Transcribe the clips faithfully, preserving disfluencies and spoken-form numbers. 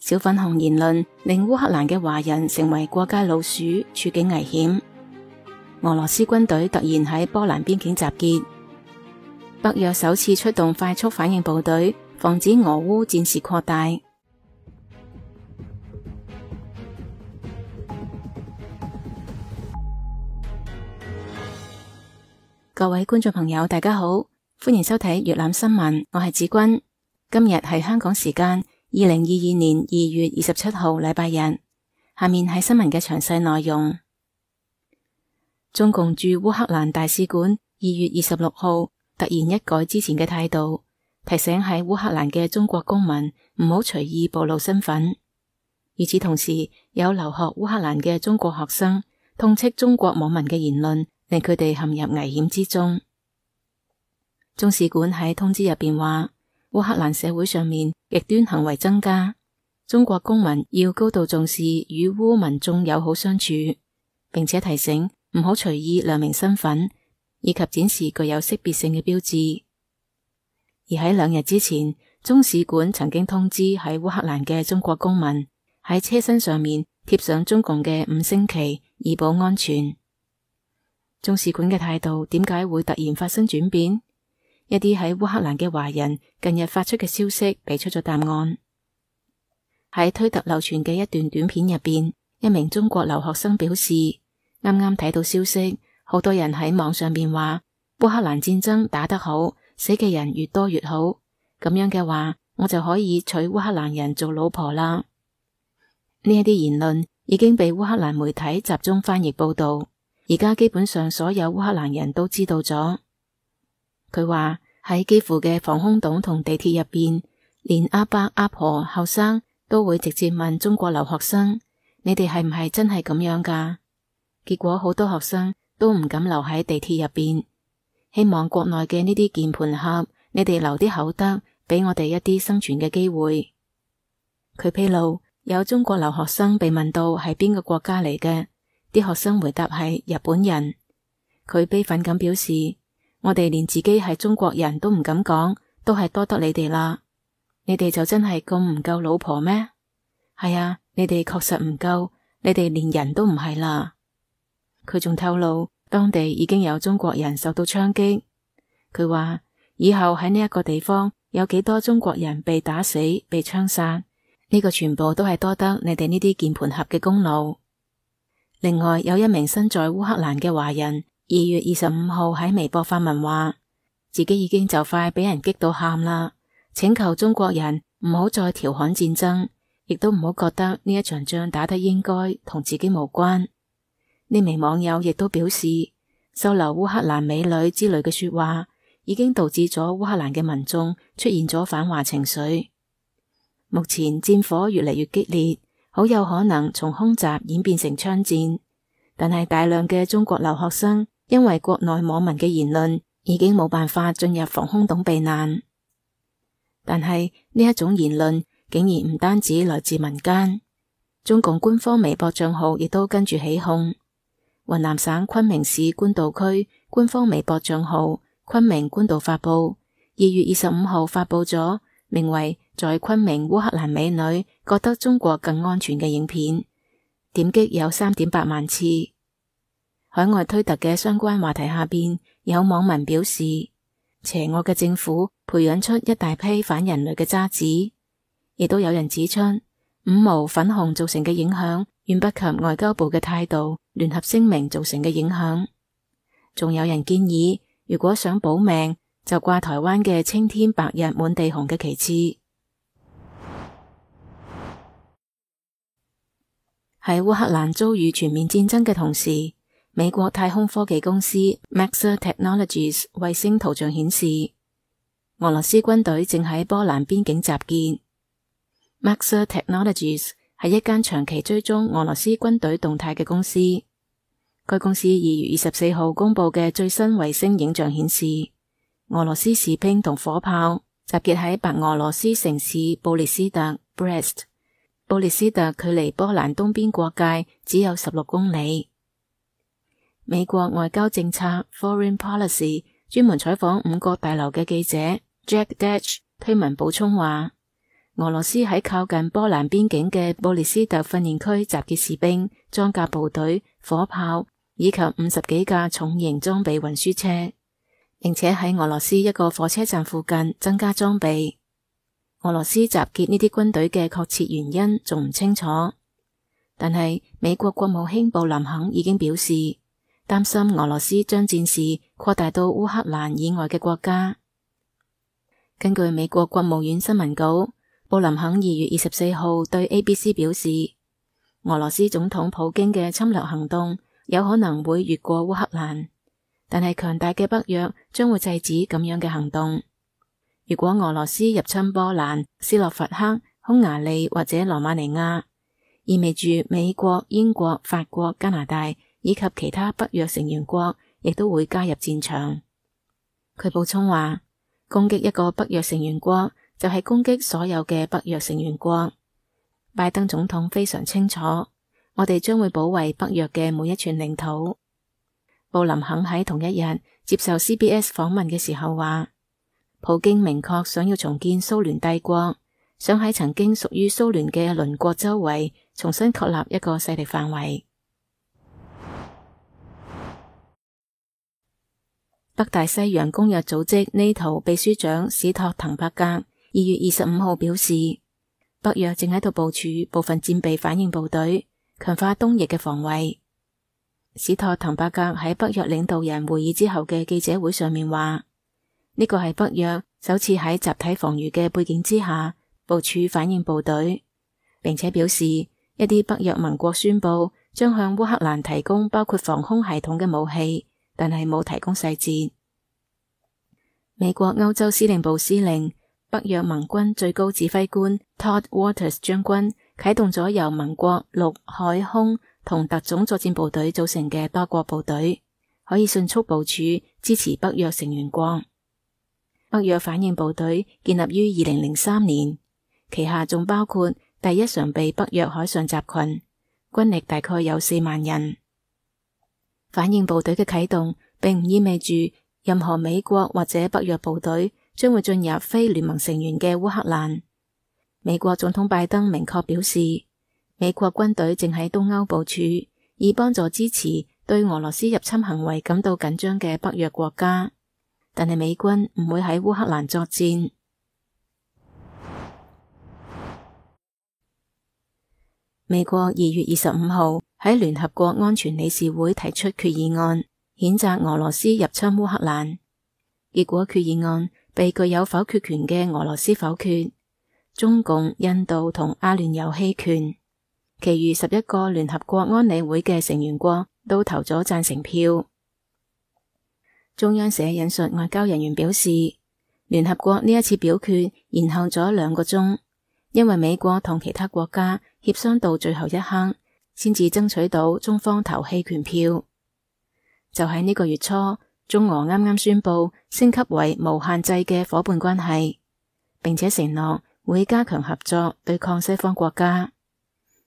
小粉紅言論令烏克蘭嘅華人成為過街老鼠，處境危險。俄羅斯軍隊突然喺波蘭邊境集結，北約首次出動快速反應部隊，防止俄烏戰事擴大。各位觀眾朋友，大家好，歡迎收睇粵覽新聞，我係子君。今日係香港時間二零二二年二月二十七號禮拜日。下面係新聞嘅詳細內容。中共駐烏克蘭大使館二月二十六號突然一改之前嘅態度，提醒喺烏克蘭嘅中國公民唔好隨意暴露身份。與此同時，有留學烏克蘭嘅中國學生痛斥中國網民嘅言論令佢哋陷入危險之中。中使館喺通知入邊話，烏克蘭社會上面極端行為增加，中國公民要高度重視與烏民眾友好相處，並且提醒唔好隨意亮明身份，以及展示具有識別性嘅標誌。而喺兩日之前，中使館曾經通知喺烏克蘭嘅中國公民喺車身上面貼上中共嘅五星旗，以保安全。中使館嘅態度點解會突然發生轉變？一啲喺烏克蘭嘅華人近日發出嘅消息俾出咗答案。喺推特流傳嘅一段短片入邊，一名中國留學生表示，啱啱睇到消息，好多人喺網上邊話烏克蘭戰爭打得好，死嘅人越多越好，咁樣嘅話，我就可以娶烏克蘭人做老婆啦。呢一啲言論已經被烏克蘭媒體集中翻譯報道。而家基本上所有烏克蘭人都知道咗。佢話喺基輔嘅防空洞同地鐵入邊，連阿伯阿婆後生都會直接問中國留學生：你哋係唔係真係咁樣噶？結果好多學生都唔敢留喺地鐵入邊，希望國內嘅呢啲鍵盤俠，你哋留啲口德，俾我哋一啲生存嘅機會。佢披露有中國留學生被問到係邊個國家嚟嘅。啲學生回答係日本人。佢悲憤咁表示，我哋連自己係中國人都唔敢講，都係多得你哋啦。你哋就真係咁唔夠老婆咩？係啊，你哋確實唔夠，你哋連人都唔係啦。佢仲透露，當地已經有中國人受到槍擊。佢話以後喺呢一個地方有幾多中國人被打死、被槍殺，呢個全部都係多得你哋呢啲鍵盤俠嘅功勞。另外有一名身在烏克蘭嘅華人，二月二十五號喺微博發文話，自己已經就快俾人激到喊啦，請求中國人唔好再調侃戰爭，亦都唔好覺得呢一場仗打得應該同自己無關。呢名網友亦都表示，收留烏克蘭美女之類嘅說話，已經導致咗烏克蘭嘅民眾出現咗反華情緒。目前戰火越嚟越激烈，好有可能從空襲演變成槍戰，但係大量嘅中國留學生因為國內網民嘅言論，已經冇辦法進入防空洞避難。但係呢一種言論竟然唔單止來自民間，中共官方微博賬號亦都跟住起鬨。雲南省昆明市官渡區官方微博賬號昆明官渡發布，二月二十五號發布咗名為在昆明烏克蘭美女覺得中國更安全嘅影片，點擊有三點八萬次。海外推特嘅相關話題下邊，有網民表示，邪惡嘅政府培養出一大批反人類嘅渣子。亦都有人指出，五毛粉紅造成嘅影響遠不及外交部嘅態度聯合聲明造成嘅影響。仲有人建議，如果想保命，就掛台灣嘅青天白日滿地紅嘅旗幟。喺烏克蘭遭遇全面戰爭嘅同時，美國太空科技公司 Maxar Technologies 衛星圖像顯示，俄羅斯軍隊正喺波蘭邊境集結。Maxar Technologies 係一間長期追蹤俄羅斯軍隊動態嘅公司。該公司二月二十四號公布嘅最新衛星影像顯示，俄羅斯士兵同火炮集結喺白俄羅斯城市布列斯特 Brest。布列斯特距離波蘭東邊國界只有十六公里。美國外交政策 Foreign Policy 專門採訪五角大樓嘅記者 Jack Detch 推文補充話，俄羅斯喺靠近波蘭邊境嘅布列斯特訓練區集結士兵、裝甲部隊、火炮以及五十幾架重型裝備運輸車，並且喺俄羅斯一個火車站附近增加裝備。俄羅斯集結呢啲軍隊嘅確切原因仲唔清楚，但係美國國務卿布林肯已經表示，擔心俄羅斯將戰事擴大到烏克蘭以外嘅國家。根據美國國務院新聞稿，布林肯二月二十四號對 A B C 表示，俄羅斯總統普京嘅侵略行動有可能會越過烏克蘭，但係強大嘅北約將會制止咁樣嘅行動。如果俄羅斯入侵波蘭、斯洛伐克、匈牙利或者羅馬尼亞，意味住美國、英國、法國、加拿大以及其他北約成員國亦都會加入戰場。佢補充話，攻擊一個北約成員國就係攻擊所有嘅北約成員國。拜登總統非常清楚，我哋將會保衛北約嘅每一寸領土。布林肯喺同一日接受 C B S 訪問嘅時候話，普京明確想要重建蘇聯帝國，想喺曾經屬於蘇聯嘅鄰國周圍重新確立一個勢力範圍。北大西洋公約組織 NATO 秘書長史托滕伯格二月二十五號表示，北約正喺度部署部分戰備反應部隊，強化東翼嘅防衛。史托滕伯格喺北約領導人會議之後嘅記者會上面話，呢個係北約首次喺集體防禦嘅背景之下部署反應部隊，並且表示一啲北約盟國宣布將向烏克蘭提供包括防空系統嘅武器，但係冇提供細節。美國歐洲司令部司令、北約盟軍最高指揮官 Todd Waters 將軍啟動咗由盟國陸海空同特種作戰部隊組成嘅多國部隊，可以迅速部署支持北約成員國。北約反應部隊建立於二零零三年，旗下仲包括第一常備北約海上集群，軍力大概有四萬人。反應部隊嘅啟動並唔意味住任何美國或者北約部隊將會進入非聯盟成員嘅烏克蘭。美國總統拜登明確表示，美國軍隊正喺東歐部署，以幫助支持對俄羅斯入侵行為感到緊張嘅北約國家。但係美軍唔會喺烏克蘭作戰。美國二月二十五號喺聯合國安全理事會提出決議案，譴責俄羅斯入侵烏克蘭。結果決議案被具有否決權嘅俄羅斯否決，中共、印度同阿聯酋棄權，其餘十一個聯合國安理會嘅成員國都投咗贊成票。中央社引述外交人員表示，聯合國呢一次表決延後咗兩個鐘，因為美國同其他國家協商到最後一刻，先至爭取到中方投棄權票。就喺呢個月初，中俄啱啱宣布升級為無限制嘅夥伴關係，並且承諾會加強合作對抗西方國家。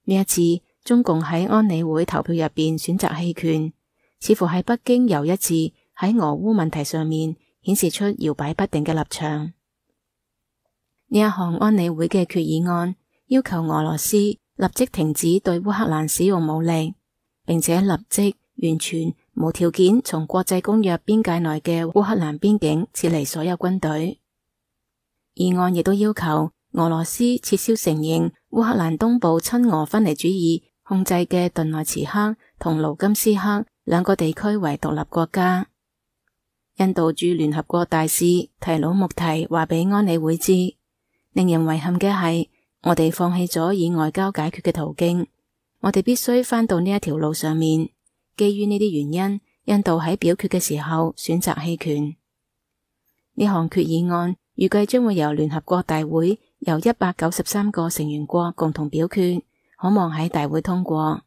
呢一次，中共喺安理會投票入邊選擇棄權，似乎係北京又一次喺俄烏問題上面顯示出搖擺不定嘅立場。呢一項安理會嘅決議案要求俄羅斯立即停止對烏克蘭使用武力，並且立即完全無條件從國際公約邊界內嘅烏克蘭邊境撤離所有軍隊。議案亦都要求俄羅斯撤銷承認烏克蘭東部親俄分離主義控制嘅頓內茨克同盧甘斯克兩個地區為獨立國家。印度駐聯合國大使提魯穆提話俾安理會知，令人遺憾嘅係，我哋放棄咗以外交解決嘅途徑，我哋必須返到呢一條路上面。基於呢啲原因，印度喺表決嘅時候選擇棄權。呢項決議案預計將會由聯合國大會由一百九十三個成員國共同表決，可望喺大會通過。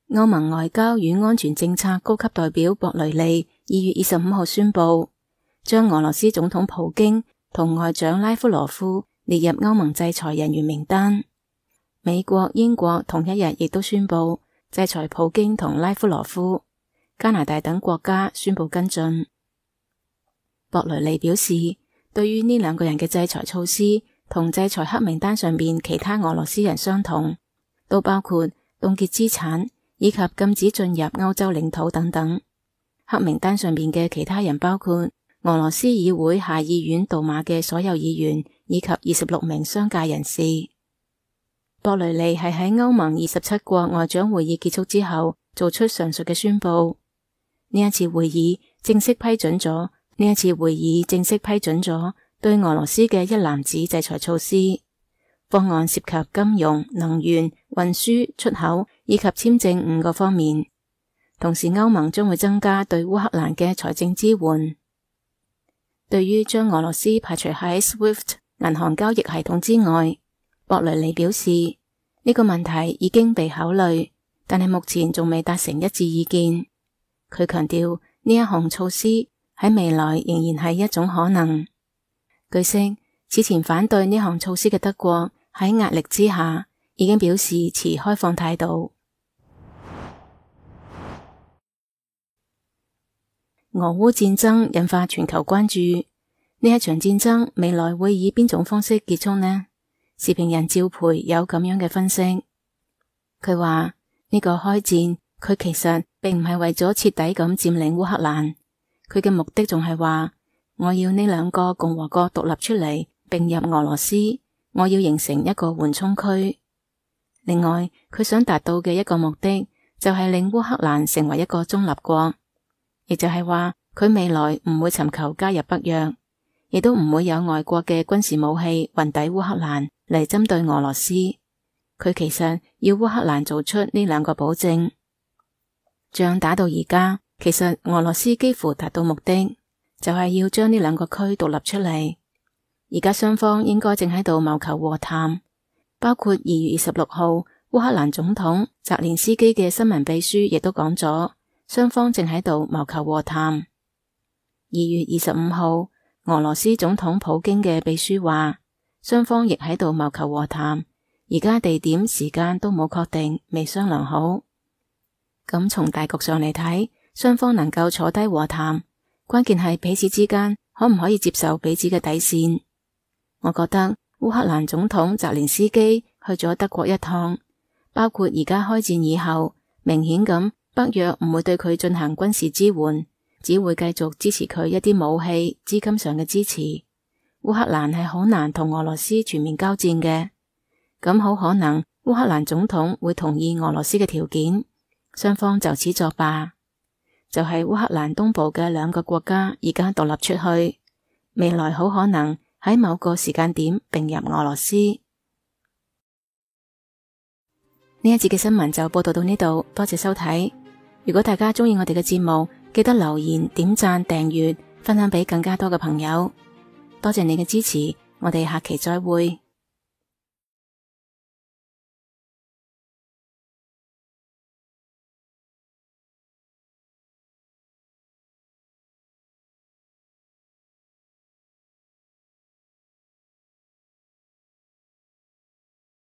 歐盟外交與安全政策高級代表博雷利二月二十五號宣布，將俄羅斯總統普京同外長拉夫羅夫列入歐盟制裁人員名單。美國、英國同一日亦都宣布制裁普京同拉夫羅夫，加拿大等國家宣布跟進。博雷利表示，對於呢兩個人嘅制裁措施同制裁黑名單上面其他俄羅斯人相同，都包括凍結資產以及禁止進入歐洲領土等等。黑名單上面嘅其他人包括俄羅斯議會下議院杜馬嘅所有議員以及二十六名商界人士。博雷利係喺歐盟二十七國外長會議結束之後做出上述嘅宣佈。呢一次會議正式批准咗，呢一次會議正式批准咗對俄羅斯嘅一籃子制裁措施。方案涉及金融、能源、運輸、出口以及簽證五個方面。同時，歐盟將會增加對烏克蘭嘅財政支援。對於將俄羅斯排除喺 SWIFT 銀行交易系統之外，博雷利表示呢個問題已經被考慮，但係目前仲未達成一致意見。佢強調呢一項措施喺未來仍然係一種可能。據悉，此前反對呢項措施嘅德國喺壓力之下已經表示持開放態度。俄烏戰爭引發全球關注，呢一場戰爭未來會以邊種方式結束呢？時評人趙培有咁樣嘅分析，佢話呢個開戰佢其實並唔係為咗徹底咁佔領烏克蘭，佢嘅目的仲係話我要呢兩個共和國獨立出嚟並入俄羅斯，我要形成一個緩衝區。另外，佢想達到嘅一個目的就係令烏克蘭成為一個中立國。亦就係話，佢未來唔會尋求加入北約，亦都唔會有外國嘅軍事武器運抵烏克蘭嚟針對俄羅斯。佢其實要烏克蘭做出呢兩個保證。仗打到而家，其實俄羅斯幾乎達到目的，就係要將呢兩個區獨立出嚟。而家雙方應該正喺度謀求和談，包括二月二十六號烏克蘭總統澤連斯基嘅新聞秘書亦都講咗。雙方正喺度謀求和談。二月二十五號，俄羅斯總統普京嘅秘書話，雙方亦喺度謀求和談，而家地點時間都冇確定，未商量好。咁從大局上嚟睇，雙方能夠坐低和談，關鍵係彼此之間可唔可以接受彼此嘅底線。我覺得烏克蘭總統澤連斯基去咗德國一趟，包括而家開戰以後，明顯咁。北約唔會對佢進行軍事支援，只會繼續支持佢一啲武器、資金上嘅支持。烏克蘭係好難同俄羅斯全面交戰嘅，咁好可能烏克蘭總統會同意俄羅斯嘅條件，雙方就此作罷。就係烏克蘭東部嘅兩個國家而家獨立出去，未來好可能喺某個時間點併入俄羅斯。呢一節嘅新聞就報道到呢度，多謝收睇。如果大家鍾意我哋嘅節目，記得留言、點讚、訂閱、分享俾更加多嘅朋友。多謝你嘅支持，我哋下期再會。